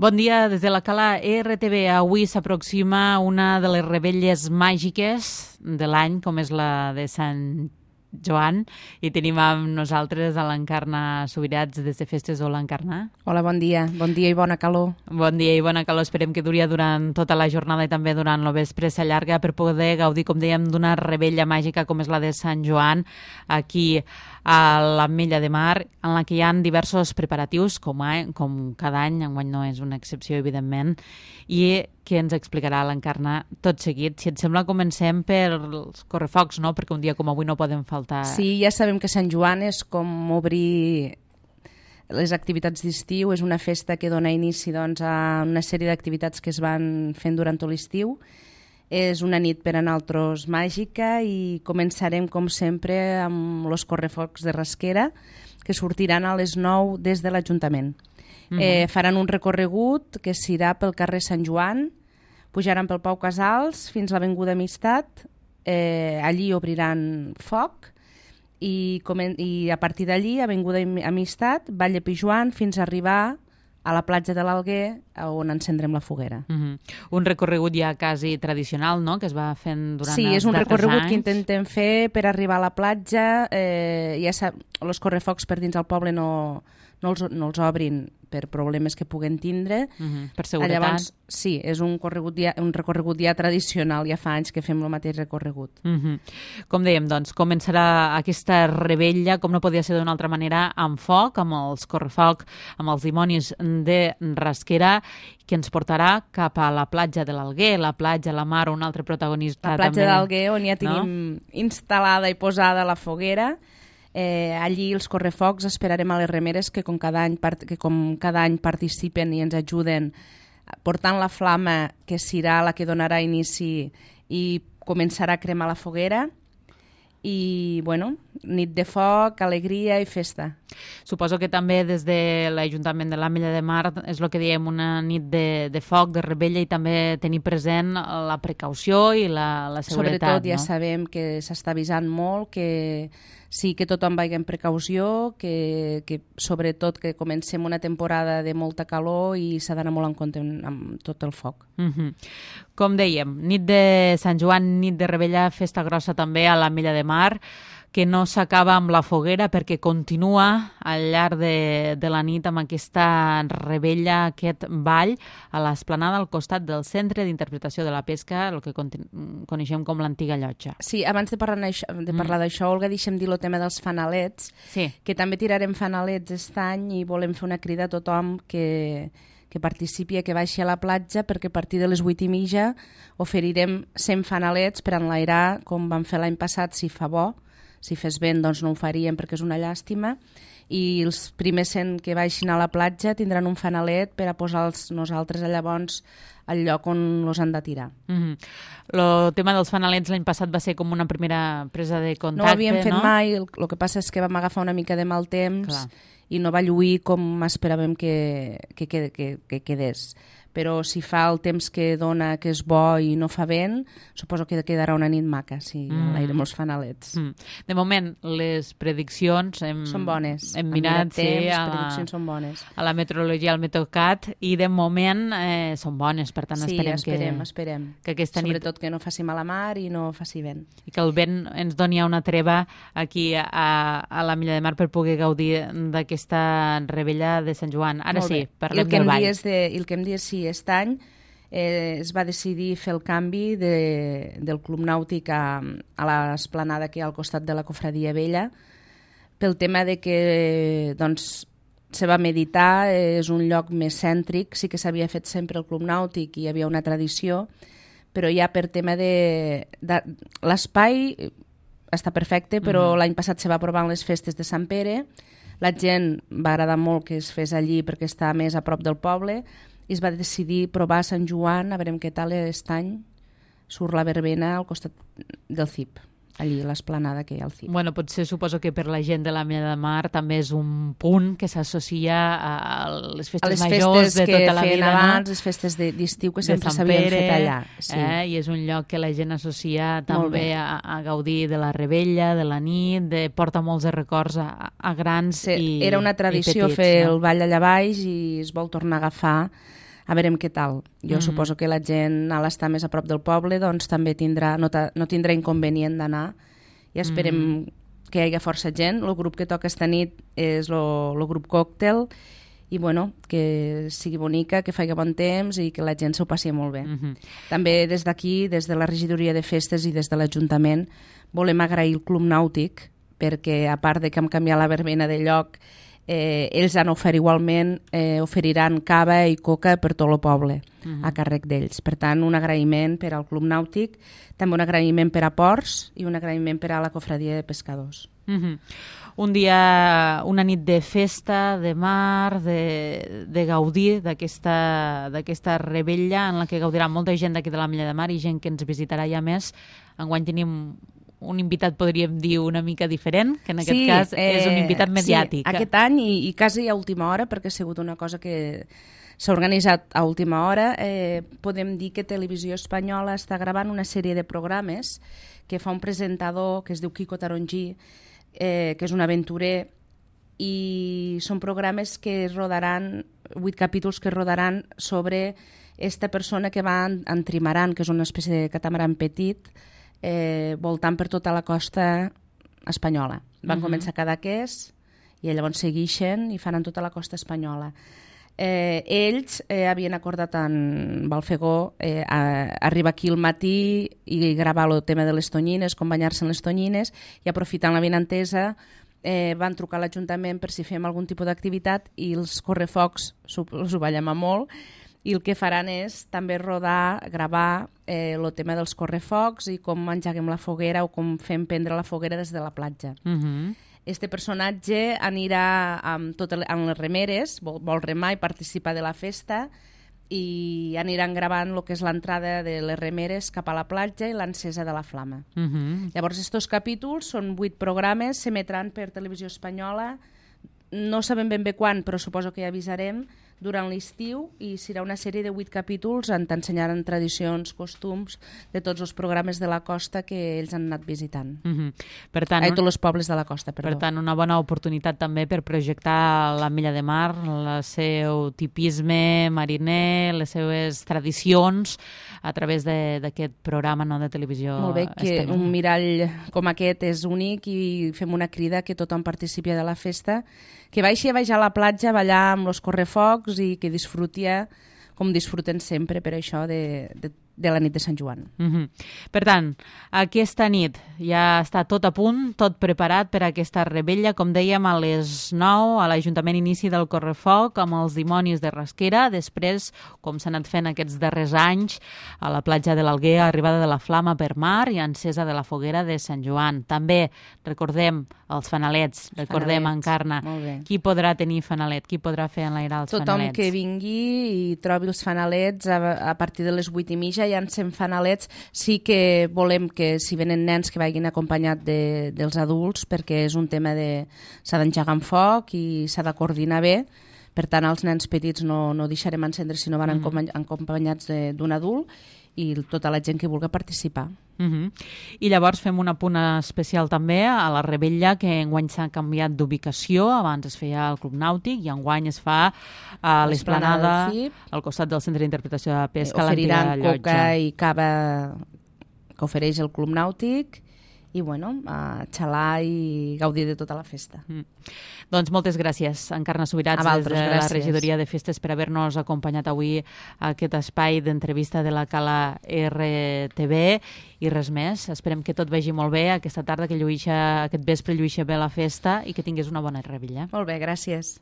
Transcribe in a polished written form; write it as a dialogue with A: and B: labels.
A: Bon dia, des de la Cala RTV. Avui s'aproxima una de les revetlles màgiques de l'any, com és la de Sant Joan, i tenim amb nosaltres a l'Encarna Subirats des de Festes. Hola, Encarna.
B: Hola, bon dia i bona calor.
A: Bon dia i bona calor. Esperem que duri durant tota la jornada i també durant el vespre s'allarga per poder gaudir, com dèiem, d'una rebella màgica com és la de Sant Joan, aquí a l'Ametlla de Mar, en la que hi ha diversos preparatius, com cada any, enguany no és una excepció, evidentment, i que ens explicarà l'Encarna tot seguit. Si et sembla, comencem pels correfocs, no? Perquè un dia com avui no poden faltar.
B: Sí, ja sabem que Sant Joan és com obrir les activitats d'estiu, és una festa que dona inici doncs, a una sèrie d'activitats que es van fent durant tot l'estiu. És una nit per a nosaltres màgica i començarem, com sempre, amb els correfocs de Rasquera, que sortiran a les 9 des de l'Ajuntament. Faran un recorregut que s'irà pel carrer Sant Joan, pujaran pel Pau Casals fins a l'Avinguda Amistat, allí obriran foc i a partir d'allí, Avinguda Amistat, Valle Pijuan, fins a arribar a la platja de l'Alguer, on encendrem la foguera.
A: Un recorregut ja quasi tradicional, no?, que es va fent durant els darrers anys.
B: Sí, és un recorregut que intentem fer per arribar a la platja. Ja els correfocs per dins del poble no els obrin per problemes que puguen tindre.
A: Per seguretat.
B: Llavors, sí, és un recorregut ja tradicional, ja fa anys que fem el mateix recorregut.
A: Com dèiem, doncs, començarà aquesta rebella, com no podia ser d'una altra manera, amb foc, amb els correfoc, amb els dimonis de Rasquera, que ens portarà cap a la platja de l'Alguer, la platja, la mar, un altre protagonista.
B: La platja de l'Alguer, on ja tenim instal·lada i posada la foguera. Allí els correfocs esperarem a les remeres que com cada any participen i ens ajuden portant la flama que serà la que donarà inici i començarà a cremar la foguera. I, bueno, nit de foc, alegria i festa.
A: Suposo que també des de l'Ajuntament de l'Ametlla de Mar és el que diem, una nit de foc, de rebella, i també tenir present la precaució i la seguretat.
B: Sobretot ja sabem que s'està avisant molt, que sí que tothom vagi amb precaució, que sobretot que comencem una temporada de molta calor i s'ha d'anar molt en compte amb tot el foc.
A: Com dèiem, nit de Sant Joan, nit de rebella, festa grossa també a l'Ametlla de Mar, que no s'acaba amb la foguera perquè continua al llarg de la nit amb aquesta rebella, aquest ball a l'esplanada al costat del Centre d'Interpretació de la Pesca, el que coneixem com l'antiga llotja.
B: Sí, abans de parlar d'això, Olga, deixa'm dir el tema dels fanalets, que també tirarem fanalets aquest any i volem fer una crida a tothom que participi, que baixi a la platja, perquè a partir de les 8:30 oferirem 100 fanalets per enlairar, com vam fer l'any passat, si fa bo. Si fes vent, doncs no ho faríem perquè és una llàstima, i els primers 100 que baixin a la platja tindran un fanalet per a posar-los nosaltres llavors al lloc on els han de tirar.
A: El tema dels fanalets l'any passat va ser com una primera presa de contacte,
B: no ho havíem fet mai, el que passa és que vam agafar una mica de mal temps i no va lluir com esperàvem que quedés. Però si fa el temps que dona, que és bo i no fa vent, suposo que quedarà una nit maca si enlairem els fanalets.
A: De moment, les prediccions
B: són bones.
A: Hem mirat,
B: les prediccions són bones.
A: A la meteorologia, al Meteocat, i de moment són bones, per tant
B: esperem
A: que aquesta nit...
B: Sobretot que no faci mala mar i no faci vent.
A: I que el vent ens doni una treva aquí a l'Ametlla de Mar per poder gaudir d'aquesta rebella de Sant Joan. Ara sí, parlem del ball.
B: I el que em dius, sí, aquest any es va decidir fer el canvi del Club Nàutic a l'esplanada que hi ha al costat de la Cofradia Vella, pel tema de que se va meditar, és un lloc més cèntric, sí que s'havia fet sempre el Club Nàutic i hi havia una tradició, però ja per tema de l'espai està perfecte, però l'any passat se va aprovar en les festes de Sant Pere, la gent va agradar molt que es fes allí perquè està més a prop del poble, i es va decidir provar a Sant Joan, a veure què tal aquest any surt la verbena al costat del CIP, allí l'esplanada que hi ha al CIP.
A: Bueno, potser suposo que per la gent de l'Ametlla de Mar també és un punt que s'associa a les festes majors de tota la vida.
B: A les festes que feien abans, les festes d'estiu que sempre s'havien fet allà.
A: I és un lloc que la gent associa també a gaudir de la rebella, de la nit, porta molts de records a grans i petits.
B: Era una tradició fer el ball allà baix i es vol tornar a agafar a veurem què tal. Jo suposo que la gent, a l'estar més a prop del poble, doncs també no tindrà inconvenient d'anar, i esperem que hi hagi força gent. El grup que toca esta nit és el grup Còctel, i bueno, que sigui bonica, que faci bon temps i que la gent s'ho passi molt bé. També des d'aquí, des de la regidoria de festes i des de l'Ajuntament, volem agrair el Club Nàutic, perquè a part de que hem canviat la verbena de lloc, ells han ofert igualment, oferiran cava i coca per tot el poble, a càrrec d'ells. Per tant, un agraïment per al Club Nàutic, també un agraïment per a Ports i un agraïment per a la Cofradia de Pescadors.
A: Un dia, una nit de festa, de mar, de gaudir d'aquesta rebella en la que gaudirà molta gent d'aquí de l'Ametlla de Mar i gent que ens visitarà ja més. Enguany tenim un invitat, podríem dir, una mica diferent, que en aquest cas és un invitat mediàtic.
B: Sí, aquest any i quasi a última hora, perquè ha sigut una cosa que s'ha organitzat a última hora. Podem dir que Televisió Espanyola està gravant una sèrie de programes que fa un presentador que es diu Quico Tarongí, que és un aventurer, i són programes que rodaran, 8 capítols que rodaran sobre esta persona que va en trimaran, que és una espècie de catamaran petit, voltant per tota la costa espanyola. Van començar a Cadaqués i llavors segueixen i faran tota la costa espanyola. Ells havien acordat en Balfegó arribar aquí al matí i gravar el tema de les tonyines, com banyar-se en les tonyines, i aprofitant la benentesa van trucar a l'Ajuntament per si fem algun tipus d'activitat, i els correfocs els ho va llamar molt, i el que faran és també gravar el tema dels correfocs i com engeguem la foguera o com fem prendre la foguera des de la platja. Este personatge anirà amb les remeres, vol remar i participar de la festa, i aniran gravant el que és l'entrada de les remeres cap a la platja i l'encesa de la flama. Llavors, estos capítols són 8 programes, s'emetran per Televisió Espanyola, no sabem ben bé quan, però suposo que ja avisarem, durant l'estiu, i serà una sèrie de 8 capítols on t'ensenyaran tradicions, costums de tots els programes de la costa que ells han anat visitant.
A: Per tant,
B: tots els pobles de la costa, perdó.
A: Per tant, una bona oportunitat també per projectar l'Ametlla de Mar, el seu tipisme mariner, les seves tradicions, a través d'aquest programa de televisió espanyola.
B: Molt bé, que un mirall com aquest és únic, i fem una crida que tothom participi de la festa, que vagi a la platja a ballar amb els correfocs i que disfruti com disfruten sempre per això de la nit de Sant Joan.
A: Per tant, aquesta nit ja està tot a punt, tot preparat per a aquesta rebella. Com dèiem, a les 9 a l'Ajuntament inici del correfoc amb els dimonis de Rasquera. Després, com s'ha anat fent aquests darrers anys, a la platja de l'Alguer, arribada de la flama per mar i encesa de la foguera de Sant Joan. També recordem els fanalets, recordem Encarna. Qui podrà tenir fanalet? Qui podrà fer enlairar els fanalets?
B: Tothom que vingui i trobi els fanalets a partir de les 8:30 ja en fem fanalets. Sí que volem que si venen nens que vagin acompanyats dels adults, perquè és un tema s'ha d'engegar amb foc i s'ha de coordinar bé. Per tant, els nens petits no deixarem encendre si no van acompanyats d'un adult, i tota la gent que vulgui participar.
A: I llavors fem un apunt especial també a la rebella, que enguany s'ha canviat d'ubicació. Abans es feia al Club Nàutic i enguany es fa a l'Esplanada, al costat del Centre d'Interpretació de Pesca, l'antiga llotja.
B: Oferiran coca i cava que ofereix el Club Nàutic, i a xalar i gaudir de tota la festa.
A: Doncs moltes gràcies, Encarna Subirats, des de la Regidoria de Festes, per haver-nos acompanyat avui a aquest espai d'entrevista de la Cala RTV, i res més. Esperem que tot vagi molt bé aquesta tarda, que aquest vespre lluïxa bé la festa i que tinguis una bona rebella.
B: Molt bé, gràcies.